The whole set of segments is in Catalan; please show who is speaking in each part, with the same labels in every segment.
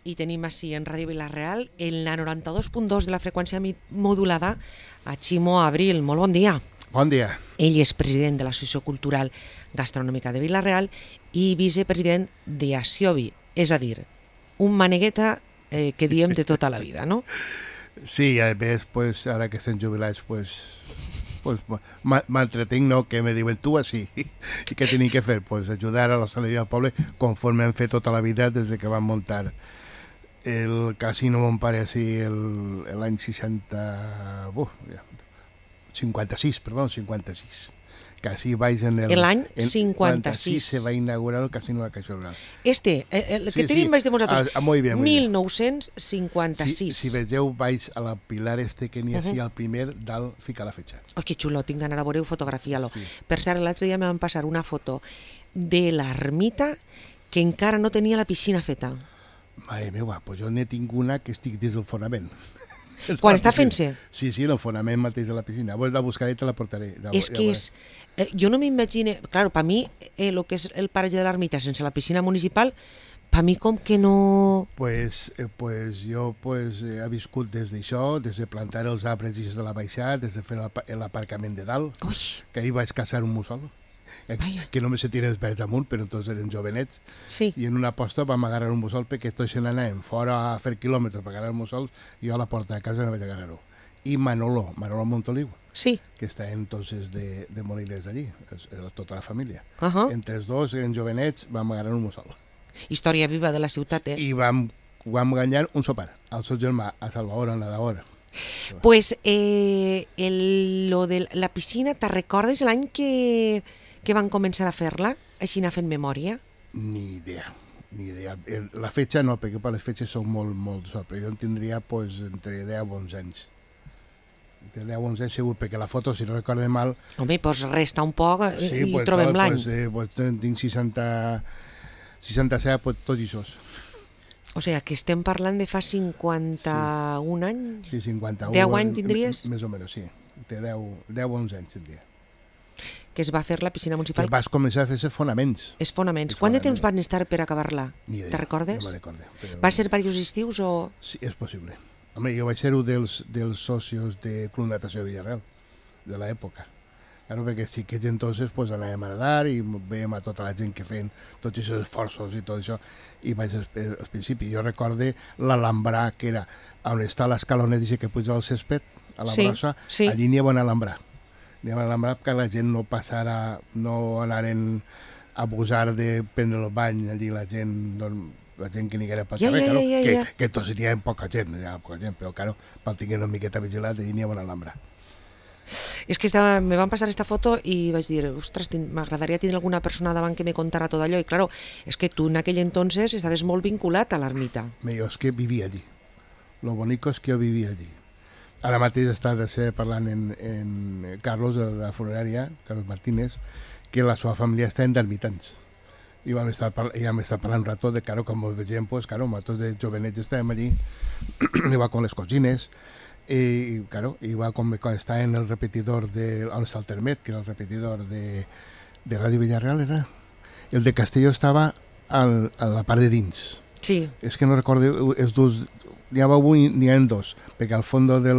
Speaker 1: I tenim així en Ràdio Vila-real en la 92.2 de la freqüència modulada a Ximo Abril. Molt bon dia.
Speaker 2: Bon dia.
Speaker 1: Ell és president de l'Associació Cultural Gastronòmica de Vila-real i vicepresident d'Asiobi, és a dir, un manegueta que diem de tota la vida, no?
Speaker 2: Sí, a més, pues, ara que estem jubilats, pues m'entretinc, no? Que me diuen tu així. I què tenim que fer? Pues ajudar a l'hostaleria del poble conforme hem fet tota la vida des que vam muntar el casino mon pare així l'any 56, quasi vaig en
Speaker 1: l'any 56
Speaker 2: se va inaugurar el casino de la Caixa Rural.
Speaker 1: El que tenim vaig de vosaltres,
Speaker 2: muy bien,
Speaker 1: 1956.
Speaker 2: Si vegeu, vaig a la pilar que n'hi ha així, al primer dalt fica la fetxa.
Speaker 1: Oh, que xulo, tinc d'anar a veure-ho, fotografiar-lo. Sí. Per cert, l'altre dia me van passar una foto de l'ermita que encara no tenia la piscina feta.
Speaker 2: Mare meva, pues jo n'he tingut una que estic des del fonament.
Speaker 1: Quan està fent-se?
Speaker 2: Sí, el fonament mateix de la piscina. Vols la buscaré i te la portaré.
Speaker 1: És que és... Jo no m'imagino... Claro, per mi, el que és el paratge de l'ermita sense la piscina municipal, per mi com que no...
Speaker 2: Pues jo he viscut des d'això, des de plantar els arbres de la baixada, des de fer l'aparcament de dalt, que ahir vaig caçar un mussol. Que només se tiren els verds amunt, però tots eren jovenets.
Speaker 1: Sí.
Speaker 2: I en una aposta vam agarrar un mussol perquè tots se n'anàvem fora a fer quilòmetres per agarrar el mussol i jo a la porta de casa no vaig agarrar-ho. I Manolo Montoliu,
Speaker 1: sí,
Speaker 2: que està entonces de Molines allí, tota la família.
Speaker 1: Entre
Speaker 2: els dos eren jovenets, vam agarrar un mussol.
Speaker 1: Història viva de la ciutat,
Speaker 2: I vam guanyar un sopar al seu germà, a Salvador, en Nadador.
Speaker 1: Pues lo de la piscina, te recordes l'any que van començar a fer-la? Així n'ha fet memòria?
Speaker 2: Ni idea. La fetxa no, perquè per les fetges són molt sol, però jo en tindria entre 10 o 11 anys. De 10 o 11 anys segur, perquè la foto, si no recordo mal...
Speaker 1: Home, doncs resta un poc i trobem l'any.
Speaker 2: Tinc 67, tot i sos.
Speaker 1: O sigui, que estem parlant de fa 51 anys?
Speaker 2: Sí, 51.
Speaker 1: 10 anys tindries?
Speaker 2: Més o menys, sí. De 10 o 11 anys tindria.
Speaker 1: Que es va fer la piscina municipal.
Speaker 2: Que vas començar a fer els fonaments.
Speaker 1: Els fonaments. Quant de temps van estar per acabar-la?
Speaker 2: Ni idea.
Speaker 1: Te recordes?
Speaker 2: No me recordo.
Speaker 1: Va ser diversos estius o...?
Speaker 2: Sí, és possible. Home, jo vaig ser un dels socios de Club Natació Villarreal, de l'època. Claro, perquè sí que entonces anàvem a nedar i veiem a tota la gent que feien tots aquests esforços i tot això. I vaig al principi. Jo recorde l'Alhambra, que era on està l'escalonet que puja al césped, a la brossa, allí n'hi havia un Alhambra. N'hi havia un Alhambra perquè la gent no passara, no anaren a abusar de prendre el bany allí la gent que n'hi haguera pel carrer, que tots n'hi havia poca gent, però claro, per tenir una miqueta vigilat, allí n'hi havia un Alhambra.
Speaker 1: És que me van passar aquesta foto i vaig dir, ostres, m'agradaria tenir alguna persona davant que me contara tot allò. I claro, és que tu en aquell entonces estaves molt vinculat a l'ermita.
Speaker 2: Jo és que vivia allí. Lo bonico és que jo vivia allí. Ara mateix està parlant en Carlos, de la funerària, Carlos Martínez, que la seva família està en d'ermitans. I vam estar parlant un rato de, com us vegem, nosaltres de jovenets estàvem allí, i va con les cosines, i va quan està en el repetidor on està el Termet, que era el repetidor de Ràdio Villarreal, era? El de Castelló estava a la part de dins.
Speaker 1: Sí.
Speaker 2: És que no recordo, els dos, n'hi ha dos, perquè al fons de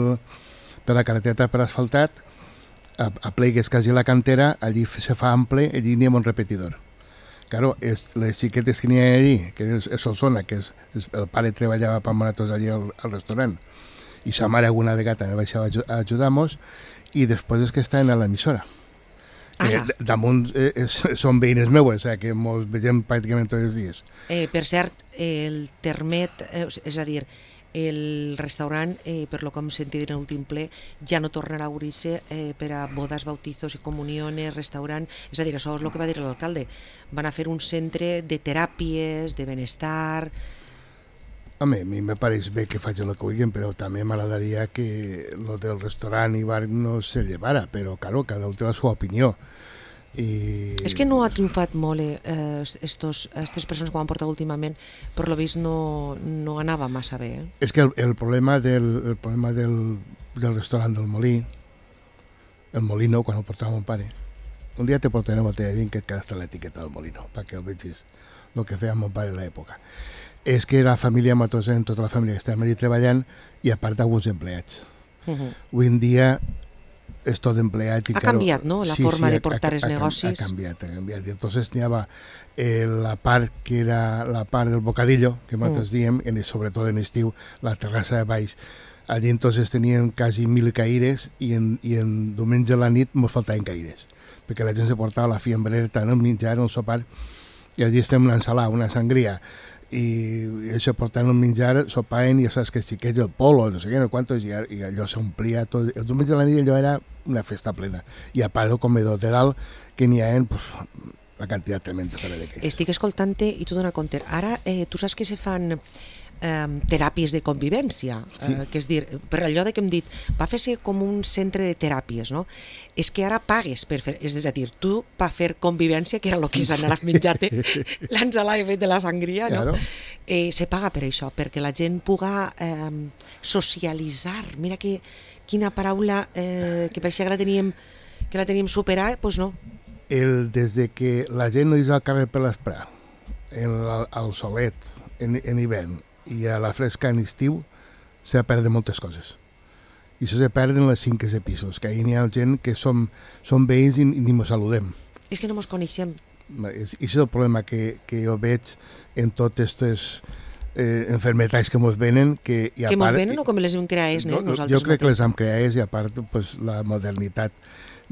Speaker 2: la carretera per asfaltat, a plegues quasi la cantera, allí se fa ample, allí n'hi ha un repetidor. Claro, les xiquetes que n'hi ha allí, que és Solsona, que el pare treballava per nosaltres allí al restaurant, i sa mare alguna vegada me baixava a ajudar-nos, i després és que estaven a l'emissora. Damunt són veïnes meues, que ens vegem pràcticament tots els dies.
Speaker 1: Per cert, el Termet, és a dir, el restaurant, per lo que hem sentit en l'últim ple, ja no tornarà a obrir-se per a bodes, bautizos i comuniones, restaurant. És a dir, això és el que va dir l'alcalde. Van a fer un centre de teràpies, de benestar...
Speaker 2: Home, a mi me pareix bé que facin el que vulguin, però també m'agradaria que el del restaurant i bar no se llevara, però claro, cada un té la seva opinió.
Speaker 1: És que no ha triomfat molt aquestes persones que ho han portat últimament, per lo vist no anava massa bé.
Speaker 2: És que el problema del restaurant del Molí, el Molino, quan el portava mon pare, un dia te portaré una botella de vi que queda hasta l'etiqueta del Molino, perquè el vegis el que feia mon pare en l'època. és que la família Matosa, tota la família està allà treballant i a part alguns empleats. Avui en dia és tot empleat.
Speaker 1: Ha canviat, no?, la forma de portar els negocis.
Speaker 2: Ha canviat. I entonces n'hi havia la part que era la part del bocadillo, que nosaltres diem, sobretot en estiu, la terrassa de baix. Allí entonces teníem quasi 1.000 caires i en diumenge a la nit ens faltaven caires, perquè la gent se portava la fiambrera tant el menjar, el sopar, i allí estem una ensalada, una sangria, i això portant el menjar, sopaven, i ja saps que els xiquets, el polo, no sé què, no quantos, i allò s'omplia tot. El diumenge a la nit allò era una festa plena. I a part del comedor de dalt, que n'hi ha la quantitat tremenda de caires.
Speaker 1: Estic escoltant-te i tu dona compte. Ara, tu saps que se fan teràpies de convivència, que és dir, per allò que hem dit, va fer-se com un centre de teràpies, no? És que ara pagues per fer, és a dir, tu per fer convivència, que era el que és anar a menjar-te l'ensalada fet de la sangria, no? Se paga per això, perquè la gent puga socialitzar. Mira quina paraula que pareixia que la teníem superada, doncs no.
Speaker 2: Des que la gent no és al carrer per l'esperar, al solet, en hivern, i a la fresca en estiu, s'ha perdut moltes coses. I això se perden les finques de pisos, que ahir n'hi ha gent que som veïns i ni mos saludem.
Speaker 1: És que no mos coneixem.
Speaker 2: I és el problema que jo veig en totes aquestes enfermetats que mos venen. Que
Speaker 1: mos venen o com les hem creades?
Speaker 2: Jo crec que les hem creades, i a part la modernitat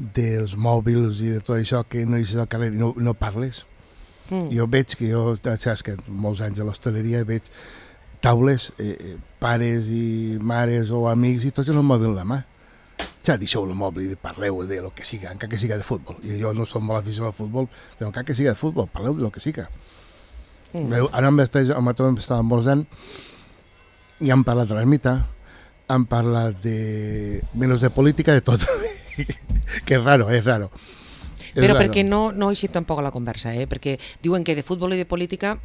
Speaker 2: dels mòbils i de tot això, que no eixes al carrer i no parles. Jo veig que saps que molts anys a l'hostaleria veig taules, pares i mares o amics, i tots amb el mòbil a la mà. Ja deixeu el mòbil i parleu de lo que siga, encara que siga de futbol. I jo no som molt aficionat al futbol, però encara que siga de futbol, parleu de lo que siga. Ara amb estàvem esmorzant i hem parlat de l'ermita, hem parlat menys de política, de tot. Que és raro, és raro.
Speaker 1: Però perquè no ha eixit tampoc a la conversa, perquè diuen que de futbol i de política...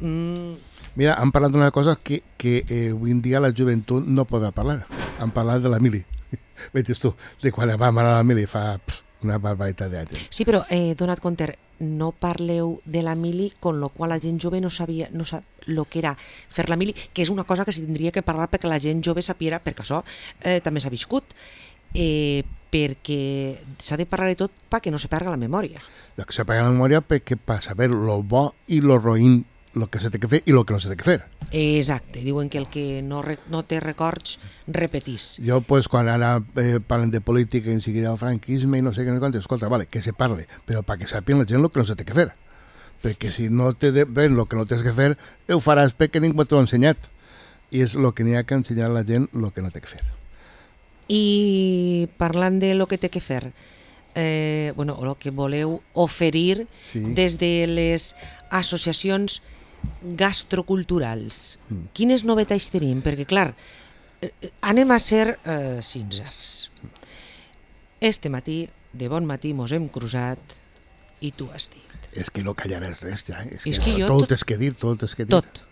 Speaker 2: Mira, han parlat d'una cosa que avui en dia la joventut no podrà parlar. Han parlat de la mili. Veies tu, de quan vam anar a la mili fa una barbaritat d'anys.
Speaker 1: Sí, però donat compte, no parleu de la mili, con lo qual la gent jove no sap el que era fer la mili, que és una cosa que s'hi tindria que parlar perquè la gent jove sapiera, perquè això també s'ha viscut, perquè s'ha de parlar de tot perquè no se perga la memòria.
Speaker 2: Se perga la memòria perquè per saber lo bo i lo roïn, lo que se té que fer i lo que no se té que fer.
Speaker 1: Exacte, diuen que el que no té records repetís.
Speaker 2: Jo, quan ara parlen de política i en seguida del franquisme i no sé què, escolta, vale, que se parle, però perquè sàpien la gent el que no se té que fer. Perquè si no té ben el que no tens que fer, ho faràs perquè ningú t'ho ha ensenyat. I és el que n'hi ha que ensenyar a la gent el que no té que fer.
Speaker 1: I parlant de lo que té que fer, o el que voleu oferir des de les associacions gastroculturals, quines novetats tenim? Perquè, clar, anem a ser sincers. Este matí, de bon matí, mos hem cruzat i tu has dit.
Speaker 2: És que no callaràs res, ja.
Speaker 1: És que
Speaker 2: tot és que dir, tot és que dir.
Speaker 1: Tot.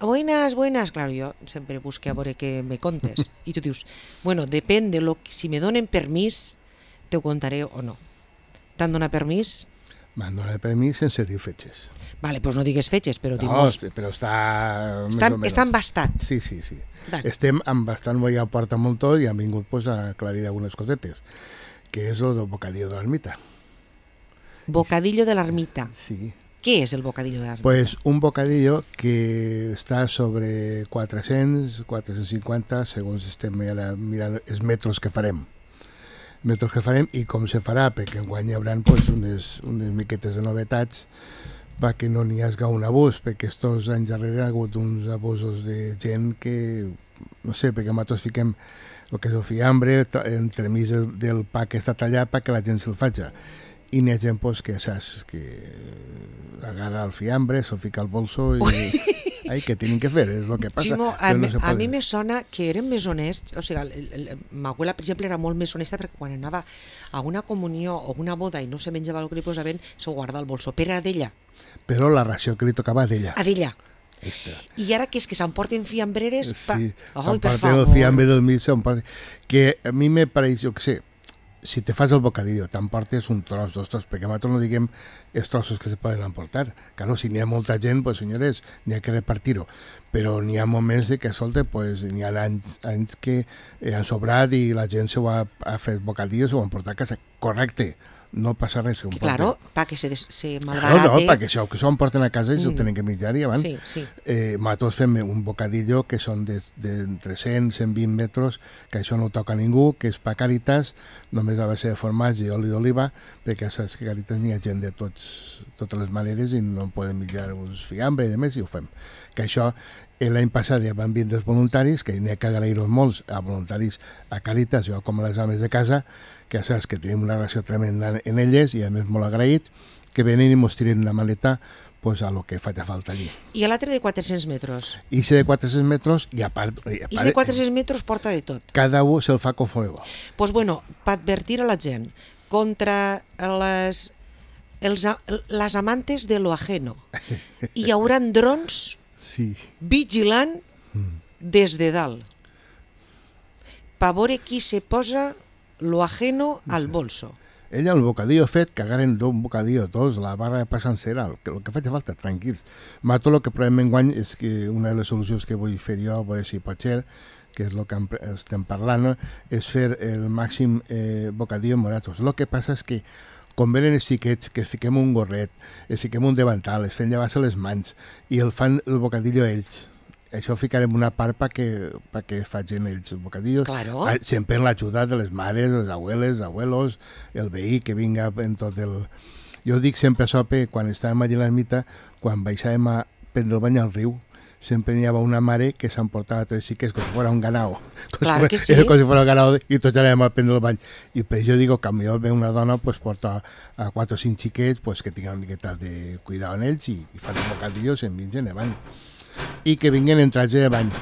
Speaker 1: Buenas. Claro, yo siempre busqué a veure que me contes. I tu dius, bueno, depèn de si me donen permís, te ho contaré o no. T'han donat permís?
Speaker 2: M'han donat permís sense dir fetges.
Speaker 1: Vale, doncs no digues fetges, però...
Speaker 2: No, però està
Speaker 1: embastat.
Speaker 2: Sí. Vale. Estem embastant, ja porta molt tot i han vingut a aclarir algunes cosetes, que és el del bocadillo de l'ermita.
Speaker 1: Bocadillo de l'ermita.
Speaker 2: Sí.
Speaker 1: Què és el bocadillo de l'ermita?
Speaker 2: Pues un bocadillo que està sobre 400, 450, segons estem mirant els metres que farem. I com se farà, perquè enguany hi haurà unes miquetes de novetats perquè no n'hi hagi un abús, perquè estos anys darrere ha hagut uns abusos de gent que, no sé, perquè nosaltres fiquem el que és el fiambre entremig del pa que està tallat perquè la gent se'l faci. I n'hi ha gent que saps que agarra el fiambre, se'l fica al bolso i... Ai, què tenen que fer? És el que passa.
Speaker 1: Ximo, a mi me sona que eren més honests, o sigui, ma abuela, per exemple, era molt més honesta perquè quan anava a una comunió o una boda i no se menjava el que li posaven, s'ho guarda al bolso, però era d'ella.
Speaker 2: Però la ració que li tocava d'ella.
Speaker 1: A d'ella. I ara que és que s'emporten fiambreres...
Speaker 2: Sí, s'emporten el fiambre del mig, que a mi me pareix, jo què sé, si te fas el bocadillo, t'emportes un tros, 2 tros, perquè nosaltres no diguem els trossos que se poden emportar. Claro, si n'hi ha molta gent, pues, senyores, n'hi ha que repartir-ho. Però n'hi ha moments de que, escolta, pues, n'hi ha anys que han sobrat i la gent se ho ha fet bocadillos, se ho han portat a casa. Correcte, no passa res.
Speaker 1: Que claro, para que se malbarate.
Speaker 2: Claro, no, perquè si ho emporten a casa i s'ho tenen que menjar i abans.
Speaker 1: Sí, sí.
Speaker 2: Nosaltres fem un bocadillo que són d'entre 100 i 120 metres, que això no ho toca ningú, que és pa Càritas, només a base de formatge i oli d'oliva, perquè saps que a Càritas n'hi ha gent de totes les maneres i no poden menjar uns fiambre i demés, i ho fem. Que això, l'any passat ja van vindre els voluntaris, que n'hi ha que agrair-los molts a voluntaris a Càritas, jo com a les ames de casa, que ja saps que tenim una relació tremenda en elles i a més molt agraït, que venen i mos tiren una maleta pues, a lo que faci falta allí.
Speaker 1: I l'altre de 400 metres?
Speaker 2: I si de 400 metres, i a part...
Speaker 1: I si de 400 metres porta de tot?
Speaker 2: Cada un se'l fa com vol.
Speaker 1: Pues bueno, per advertir a la gent contra les amantes de lo ajeno. Hi haurà drons vigilant des de dalt. Per veure qui se posa lo ajeno al bolso.
Speaker 2: Ella, el bocadillo fet, cagaren un bocadillo tots, la barra de pa sencera, el que faci falta, tranquils. Mato el que provem enguany és que una de les solucions que vull fer jo, a veure si pot ser, que és el que estem parlant, és fer el màxim bocadillo moratos. El que passa és que quan venen els xiquets, que es fiquem un gorret, es fiquem un davantal, es fem llevar-se les mans i el fan el bocadillo ells. Això ho ficarem una part perquè facin ells el bocadillo.
Speaker 1: Claro.
Speaker 2: Sempre amb l'ajuda de les mares, les abueles, abuelos, el veí que vinga en tot el... Jo dic sempre això, quan estàvem allà a l'ermita, quan baixàvem a prendre el bany al riu, sempre n'hi havia una mare que s'emportava tots els xiquets com si fos un ganao.
Speaker 1: Clar que sí.
Speaker 2: Com si fos un ganao i tots anàvem a prendre el bany. I per això dic que millor ve una dona pues, porta a 4 o 5 xiquets pues, que tinguin una miqueta de cuidar en ells i fan un bocadillo i se'n vingen de bany. I que vinguin en traje de bany.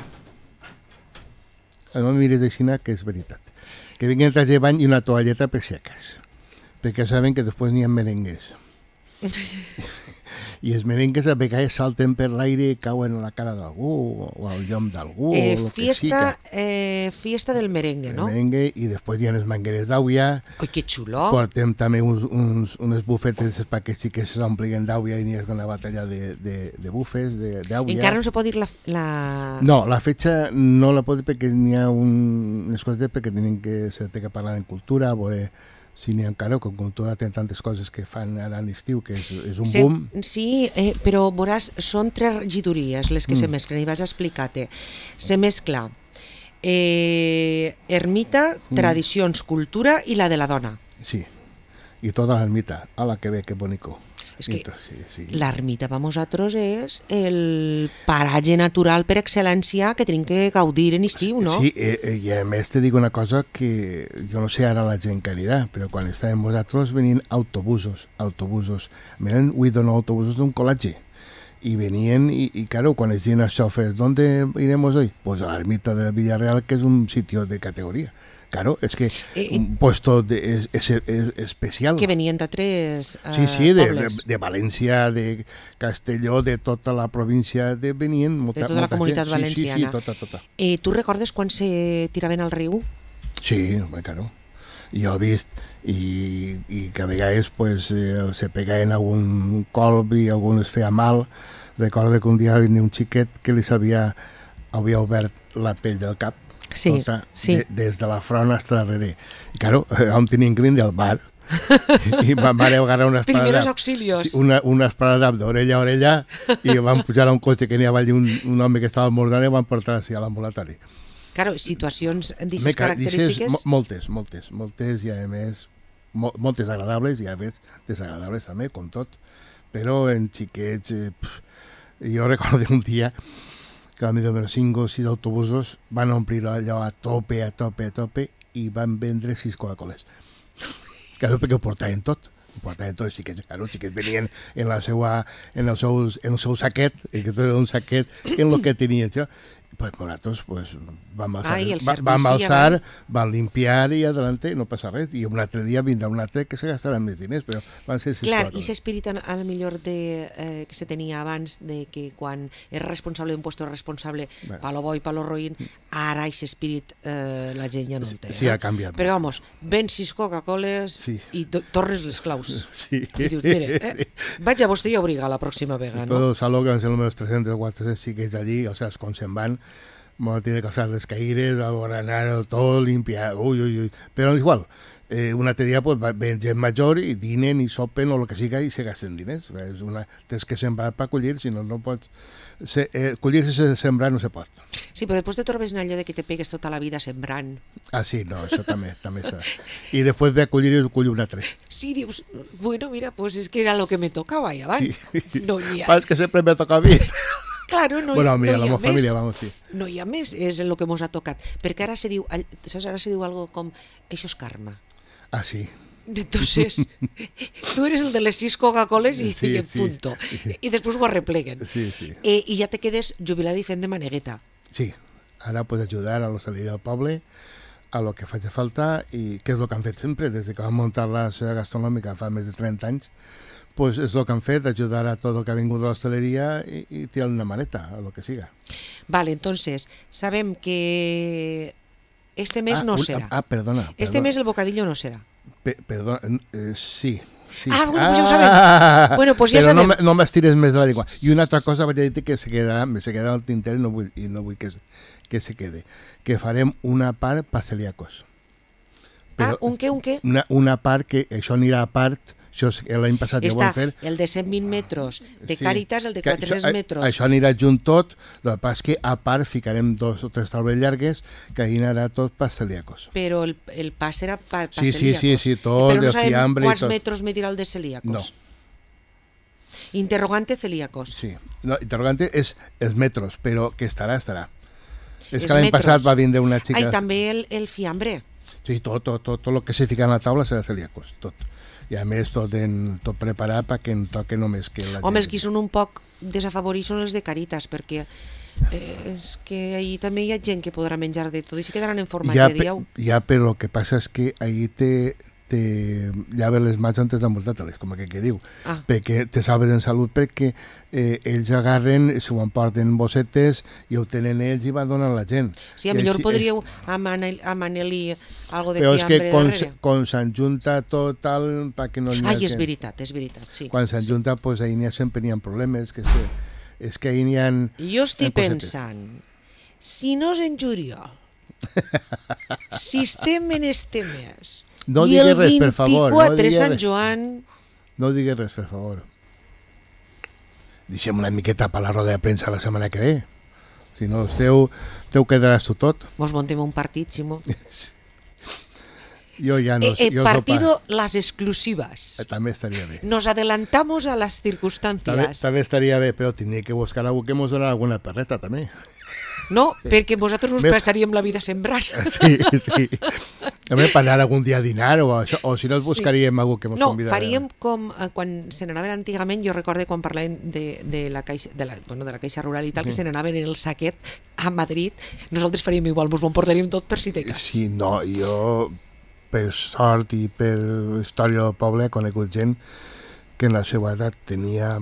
Speaker 2: No em miris així, que és veritat. Que vinguin en traje de bany i una toalleta per si acaso. Perquè saben que després n'hi ha merengues. I els merengues a vegades salten per l'aire i cauen a la cara d'algú o al llom d'algú.
Speaker 1: Fiesta del merengue, no?
Speaker 2: El merengue, i després hi ha les mangueres d'aigua.
Speaker 1: Ui, que xulo!
Speaker 2: Portem també unes bufetes perquè sí que s'omplien d'aigua i n'hi ha una batalla de bufes d'aigua.
Speaker 1: Encara no se pot dir la...
Speaker 2: No, la fetge no la pot dir perquè n'hi ha unes coses perquè se té que parlar en cultura, a veure... si n'hi ha encara, com cultura té tantes coses que fan ara a l'estiu, que és un boom.
Speaker 1: Sí, però veuràs, són 3 regidories les que se mesclen, i vas a explicar-te. Se mescla ermita, tradicions, cultura i la de la dona.
Speaker 2: Sí, i tota l'ermita. Ala, que bé, que bonico.
Speaker 1: És que l'ermita per nosaltres és el paratge natural per excel·lència que tenim que gaudir en estiu, no?
Speaker 2: Sí, i a més te dic una cosa que jo no sé ara la gent que anirà, però quan estàvem nosaltres venien autobusos. Venen 8 o 9 autobusos d'un col·legi. Y venían y claro, cuando decían a los choferes, ¿dónde iremos hoy? Pues a la ermita de Villarreal, que es un sitio de categoría. Claro, es que un puesto es especial.
Speaker 1: Que venían de 3
Speaker 2: sí, de València, de Castelló, de tota la província, venían
Speaker 1: de tota la comunitat valenciana.
Speaker 2: Sí, tota.
Speaker 1: Tu recordes quan se tiraven al riu?
Speaker 2: Sí, claro. Jo he vist i que a vegades pues, se pegaven algun colp i algun es feia mal. Recordo que un dia venia un xiquet que li havia obert la pell del cap, tota, des de la front fins darrere. I claro, on tenien que vindre al bar i van agarrar una esparada.
Speaker 1: Primeros auxilios.
Speaker 2: Sí, una esparada d'orella a orella i van pujar a un cotxe que n'hi havia un home que estava mordant i van portar així a l'ambulatori.
Speaker 1: Claro, situacions d'aquestes característiques...
Speaker 2: Moltes i a més moltes agradables i a més desagradables també, com tot. Però en xiquets... jo recordo un dia que a mi de 5 o 6 autobusos van omplir allò a tope i van vendre 6 Coca-Coles. Claro, perquè ho portaven tot. Els xiquets venien en el seu saquet, que tot era un saquet en el que tenien això. pues Moratos pues, van
Speaker 1: Ai, el servici
Speaker 2: van alçar,
Speaker 1: abans.
Speaker 2: van limpiar i adelante, no passa res. I un altre dia vindrà un altre que se gastaran més diners, però van ser 6
Speaker 1: Clar, i
Speaker 2: coses.
Speaker 1: aquest espírit al millor que se tenia abans, de que quan és responsable d'un puesto responsable
Speaker 2: Bueno.
Speaker 1: palo bo i palo roïn, ara aquest espírit la gent ja no el té.
Speaker 2: Sí, ha canviat.
Speaker 1: Però vamos, ven 6 Coca-Coles
Speaker 2: Sí.
Speaker 1: i tornes les claus.
Speaker 2: Sí.
Speaker 1: I dius, mire, vaig a vostè i a obrigar la pròxima vegada, no?
Speaker 2: Todo el saló que van ser los 300 o 400 xiquets allí, o sea, con se'n van, tiene que hacer les caires, aborranar todo, limpiar, uy. Pero igual, un altre dia pues, ven gent major i dinen i sopen o el que siga i se gasten diners. Tens que sembrar per collir, si no, no pots... collir sense sembrar no se pot.
Speaker 1: Sí, però després te trobes en allò de que te pegues tota la vida sembrant.
Speaker 2: Ah, sí, no, això també està. I després ve a collir i collir un altre.
Speaker 1: Sí, dius, bueno, mira, pues es que era lo que me tocaba ya, ¿vale?
Speaker 2: Sí.
Speaker 1: No hi ha...
Speaker 2: Pas que sempre me toca a mi.
Speaker 1: Claro, no,
Speaker 2: Bueno, a mi,
Speaker 1: no
Speaker 2: a la
Speaker 1: hi ha
Speaker 2: meva família,
Speaker 1: més.
Speaker 2: vamos, sí.
Speaker 1: No hi ha més, és el que mos ha tocat. Perquè ara se diu, saps, ara se diu algo com, això és karma.
Speaker 2: Ah, sí.
Speaker 1: Entonces, tú eres el de les 6 Coca-Coles i,
Speaker 2: Sí,
Speaker 1: i
Speaker 2: sí.
Speaker 1: punto. I després ho arrepleguen.
Speaker 2: Sí.
Speaker 1: I ja te quedes jubilat i fent de manegueta.
Speaker 2: Sí, ara puedes ayudar a los salir del poble a lo que faci falta i què és el que han fet sempre des de que van muntar la societat gastronòmica fa més de 30 anys, pues és el que han fet, ajudar a tot el que ha vingut de l'hostaleria i tirar una maneta, a lo que siga.
Speaker 1: Vale, entonces, sabem que este mes no serà.
Speaker 2: Perdona.
Speaker 1: Este mes el bocadillo no serà.
Speaker 2: Perdona, sí.
Speaker 1: Ah, bueno, pues ja ho sabem. Bueno, pues ja
Speaker 2: però
Speaker 1: sabem.
Speaker 2: no m'estires més de l'aigua. I una altra cosa vaig dir que se quedarà al tinter i no vull que se quede. Que farem una part per celíacos.
Speaker 1: Un què?
Speaker 2: Una part que això anirà a part, això l'any passat ja ho
Speaker 1: Està
Speaker 2: vam fer.
Speaker 1: el de 120 metres de
Speaker 2: Sí.
Speaker 1: Càritas, el de
Speaker 2: Que
Speaker 1: 400 metres.
Speaker 2: Això anirà junt tot, el que passa és que a part ficarem 2 o 3 taules llargues que ahí anirà tot per celíacos.
Speaker 1: Però el pas serà per
Speaker 2: Sí,
Speaker 1: celíacos.
Speaker 2: sí, tot,
Speaker 1: Però no
Speaker 2: de
Speaker 1: sabem
Speaker 2: fiambre i
Speaker 1: quants
Speaker 2: tot.
Speaker 1: metres medirà el de celíacos.
Speaker 2: No.
Speaker 1: Interrogante celíacos.
Speaker 2: Sí. No, interrogante és els metros, però que estarà. És
Speaker 1: Els
Speaker 2: que l'any
Speaker 1: metros.
Speaker 2: passat va vindre una xica...
Speaker 1: I també el fiambre.
Speaker 2: Sí, tot el que se fica en la taula serà celíacos, tot. I a més tot preparat perquè en toque només que la
Speaker 1: Home, els
Speaker 2: gent...
Speaker 1: que són un poc desafavorits són els de Càritas, perquè és que ahí també hi ha gent que podrà menjar de tot i se quedaran en format de diau.
Speaker 2: Ja, però el que passa és que ahí te llaves les mans antes d'emboltar-te-les, com que diu.
Speaker 1: Ah.
Speaker 2: Perquè te salves en salut perquè ells agarren, s'ho emporten bossetes i ho tenen ells i van donar a la gent.
Speaker 1: Sí, a millor podríeu amanar-li algo de
Speaker 2: però és
Speaker 1: fiambre
Speaker 2: que
Speaker 1: darrere.
Speaker 2: quan s'enjunta tot tal, perquè no n'hi ha
Speaker 1: Ai, és
Speaker 2: gent.
Speaker 1: veritat, sí.
Speaker 2: Quan s'enjunta, pues, ahí sempre n'hi ha problemes, és que ahí n'hi ha...
Speaker 1: Jo estic
Speaker 2: bossetes.
Speaker 1: pensant, si no és en juliol, si estem en este mes,
Speaker 2: No
Speaker 1: i
Speaker 2: digues
Speaker 1: el
Speaker 2: res, per favor, no
Speaker 1: 24
Speaker 2: digues
Speaker 1: Sant
Speaker 2: res.
Speaker 1: Joan,
Speaker 2: No digues res, per favor. Deixem una miqueta per la roda de premsa la setmana que ve. Si no, teu quedaràs tu tot.
Speaker 1: mos montem un partit, Simó.
Speaker 2: Jo ja no... jo
Speaker 1: Partido las exclusivas.
Speaker 2: També estaria bé.
Speaker 1: Nos adelantamos a las circunstancias.
Speaker 2: També estaria bé, però tindria que buscar algú que mos doni alguna perreta, també.
Speaker 1: No, perquè vosaltres us passaríem la vida sembrant.
Speaker 2: Sí. També per anar algun dia a dinar o això, o si no els buscaríem algú que mos
Speaker 1: No,
Speaker 2: convidara.
Speaker 1: faríem com quan se n'anaven antigament, jo recorde quan parlàvem de la caixa rural i tal, que se n'anaven en el saquet a Madrid, nosaltres faríem igual, mos ho portaríem tot per si de cas.
Speaker 2: Sí, no, jo per sort i per història del poble he conegut gent que en la seva edat tenia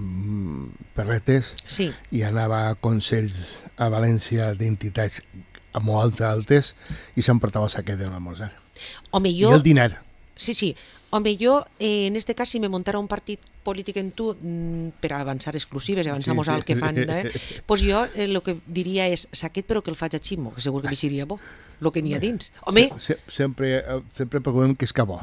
Speaker 2: perretes
Speaker 1: Sí.
Speaker 2: i anava a consells a València d'entitats molt altes i s'emportava el saquet de l'almorzar.
Speaker 1: Home,
Speaker 2: I el dinar.
Speaker 1: Sí. Home, jo, en este cas, si me montara un partit polític en tu per avançar exclusives, avançamos
Speaker 2: Sí.
Speaker 1: al que fan, pues jo el que diria és saquet però que el faig a Ximo, que segur que m'eixiria bo, el que n'hi ha dins. Home,
Speaker 2: Sempre procurem que és que bo.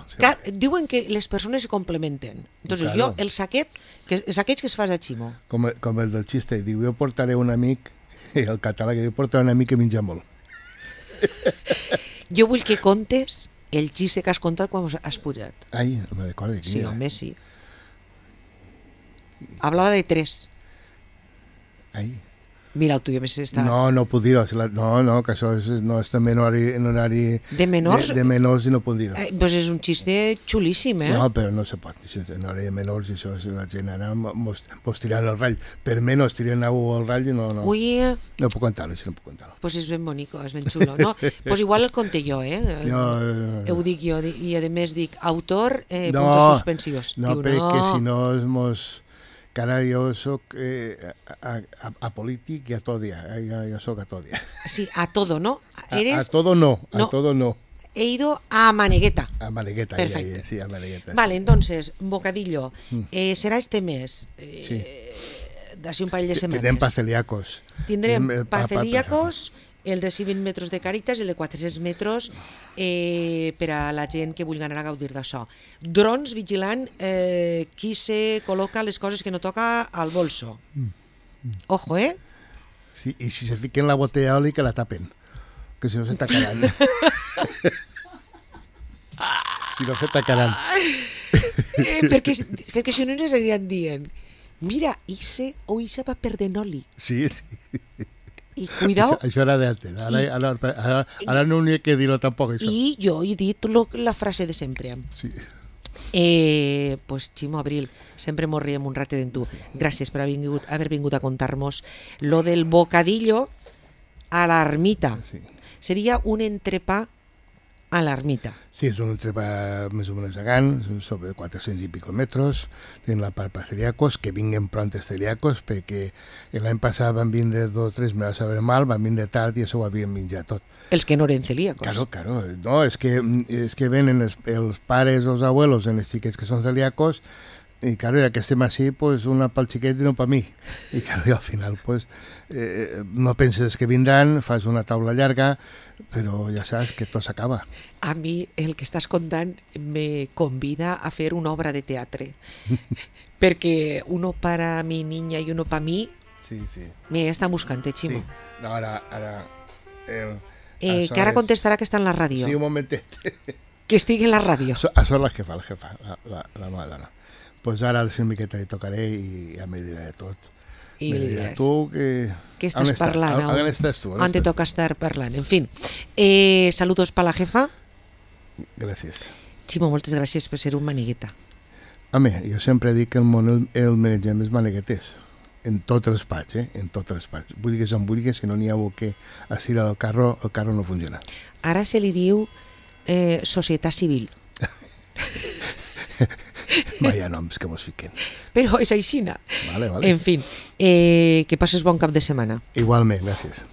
Speaker 1: diuen que les persones se complementen. Entonces
Speaker 2: Claro.
Speaker 1: jo, els saquets que es fas a Ximo.
Speaker 2: Com el del xiste, diu, jo portaré un amic, el català que diu, portaré un amic que menja molt.
Speaker 1: Jo vull que contes el xiste que has contat quan has pujat.
Speaker 2: Ai, no me recordo.
Speaker 1: Sí, home, sí. Hablava de 3.
Speaker 2: Ai.
Speaker 1: Mira, el tuyo més està...
Speaker 2: No puc dir-ho. No, que això és també en horari
Speaker 1: De menors?
Speaker 2: De menors i no puc dir-ho.
Speaker 1: Pues és un xiste xulíssim,
Speaker 2: No, però no se pot. En horari de menors i això, la gent ara mos tiran el ratll. Per menys tiren el ratll i no.
Speaker 1: Ui,
Speaker 2: No puc contar-ho, això no puc contar-ho.
Speaker 1: pues és ben bonico, és ben xulo, no? Pues igual el conté jo, ho dic jo, i a més dic autor, puntos suspensivos.
Speaker 2: No,
Speaker 1: Diu,
Speaker 2: perquè si no que ara jo soc apolític i a tot dia, jo soc a tot dia.
Speaker 1: Sí, a todo, ¿no?
Speaker 2: A todo no, a todo no.
Speaker 1: He ido a Manegueta.
Speaker 2: A Manegueta,
Speaker 1: Perfecto.
Speaker 2: sí, a Manegueta.
Speaker 1: Vale, entonces, bocadillo, será este mes,
Speaker 2: Sí.
Speaker 1: d'así un parell de setmanes.
Speaker 2: Tindrem pa celíacos.
Speaker 1: Tindrem pa celíacos, el de 120 metres de Càritas i el de 400 metres per a la gent que vulgui anar a gaudir d'això. Drons vigilant qui se col·loca les coses que no toca al bolso. Ojo,
Speaker 2: Sí, i si se fiquen la botella d'oli que la tapen, que si no se tacaran. Si no se tacaran.
Speaker 1: perquè si no ens aniran dient mira, Ise va perdent oli.
Speaker 2: Sí.
Speaker 1: I cuidao.
Speaker 2: Això era d'antes. Ara no n'hi ha que dir-ho tampoc, això.
Speaker 1: I jo he dit la frase de sempre.
Speaker 2: Sí.
Speaker 1: Pues Ximo Abril, sempre mos riem un ratet en tu. Gràcies per haver vingut a contar-nos lo del bocadillo a l'ermita.
Speaker 2: Sí.
Speaker 1: Seria un entrepà a l'ermita.
Speaker 2: Sí, és un entrepà més o menys gegant, sobre 400 i pico metros. Tenen la part per celíacos, que vinguen prontes celíacos, perquè l'any passat van vindre 2 o 3, me va saber mal, van vindre tard i això ho havien menjat tot.
Speaker 1: Els que no eren celíacos.
Speaker 2: Claro. No, és que venen els pares o els abuelos en els xiquets que són celíacos i claro, ja que estem així, pues una pel xiquet i no per mi. I claro, al final pues, no penses que vindran, fas una taula llarga, però ja saps que tot s'acaba.
Speaker 1: A mi el que estàs contant me convida a fer una obra de teatre. Perquè uno para mi niña i uno para mi,
Speaker 2: Sí.
Speaker 1: me està buscant, Ximo.
Speaker 2: Sí. No, ara...
Speaker 1: Que ara contestarà que està en la ràdio.
Speaker 2: Sí, un momentet.
Speaker 1: Que estigui en la ràdio.
Speaker 2: Això és la jefa, la meva dona. Pues ara a una miqueta li tocaré i ja me diré tot.
Speaker 1: I
Speaker 2: me
Speaker 1: li
Speaker 2: diré,
Speaker 1: diràs.
Speaker 2: tu que...
Speaker 1: Què estàs parlant?
Speaker 2: On estàs tu?
Speaker 1: On te toca estar parlant? En fin, saludos para la jefa.
Speaker 2: Gràcies.
Speaker 1: Ximo, moltes gràcies per ser un manigueta.
Speaker 2: Home, jo sempre dic que el món el manegem els manegueters. En totes les parts, En totes les parts. Vulguis on vulguis, si no n'hi ha que estirar el carro no funciona.
Speaker 1: Ara se li diu societat civil.
Speaker 2: Vaya noms que mos fiquen.
Speaker 1: Però és aixina.
Speaker 2: Vale.
Speaker 1: En fin, que passes bon cap de setmana.
Speaker 2: Igualment, gràcies.